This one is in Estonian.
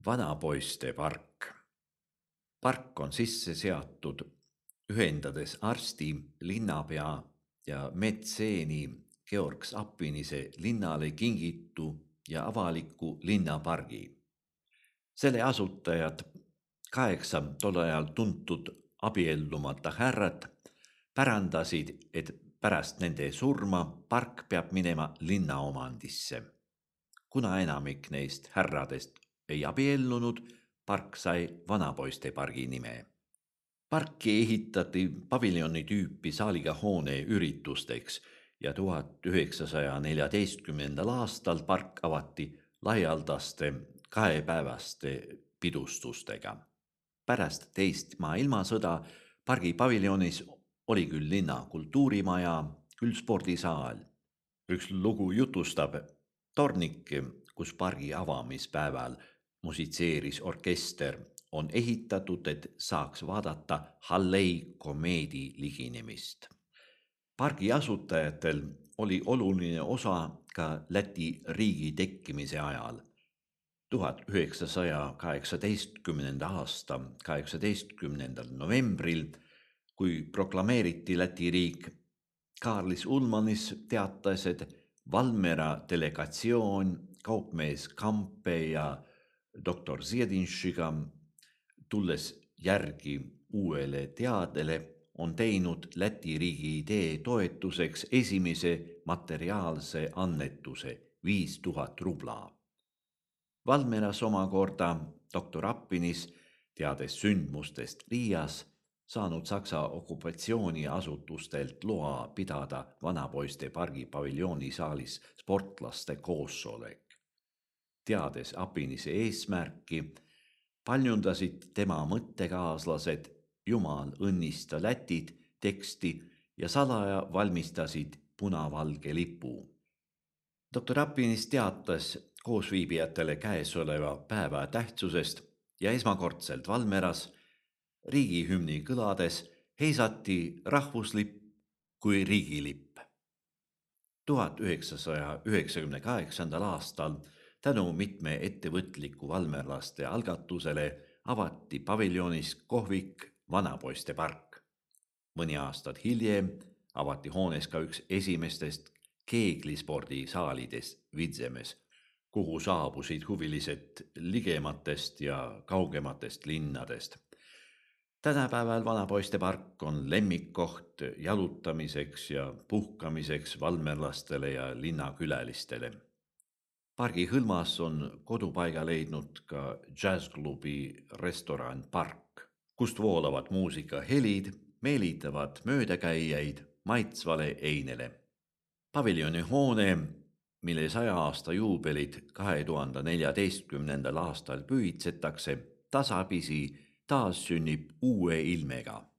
Vanapoiste park. Park on sisse seatud ühendades arsti, linnapea ja metseeni Georg Appinise linnale kingitu ja avaliku linnapargi. Selle asutajad 8 tol ajal tuntud abiellumata härrat pärandasid, et pärast nende surma park peab minema linna omandisse. Kuna enamik neist härradest ei abiellunud, park sai Vanapoiste pargi nime. Parki ehitati paviljoni tüüpi saaliga hoone üritusteks ja 1914. aastal park avati laialdaste 2-päevaste pidustustega. Pärast teist maailmasõda pargi paviljonis oli küll linna kultuurimaja, küll spordisaal. Üks lugu jutustab tornike, kus pargi avamispäeval musitseeris orkester, on ehitatud, et saaks vaadata Hallei komeedi liginemist. Pargi asutajatel oli oluline osa ka Läti riigi tekkimise ajal. 1918. aasta 18. novembril, kui proklameeriti Läti riik, Kaarlis Ulmanis teatas, et Valmiera delegatsioon kaupmees Kampe ja doktor Ziedinšiga, tulles järgi uuele teadele, on teinud Läti riigi idee toetuseks esimese materiaalse annetuse 5000 rubla. Valmieras omakorda doktor Appinis, teades sündmustest Riias, saanud Saksa okupatsiooniasutustelt loa pidada Vanapoiste pargi paviljoonisaalis sportlaste koosolek. Teades Appinise eesmärki, paljundasid tema mõttekaaslased Jumal õnnista Lätit teksti ja salaja valmistasid punavalge lipu. Doktor Appinis teatas koosviibijatele käesoleva päeva tähtsusest ja esmakordselt Valmieras riigihümni kõlades heisati rahvuslipp kui riigilipp. 1998. aastal tänu mitme ettevõtliku valmerlaste algatusele avati paviljonis kohvik Vanapoiste park. Mõni aastat hiljem avati hoones ka üks esimestest keeglispordisaalidest Vidzemes, kuhu saabusid huvilised ligematest ja kaugematest linnadest. Tänapäeval Vanapoiste park on lemmikkoht jalutamiseks ja puhkamiseks valmerlastele ja linnakülalistele. Pargi hõlmas on kodupaiga leidnud ka džässklubi restoran Park, kust voolavad muusikahelid meelitavad möödakäijaid maitsvale einele. Paviljoni hoone, mille 100 aasta juubelit 2014. aastal pühitsetakse, tasapisi taas sünnib uue ilmega.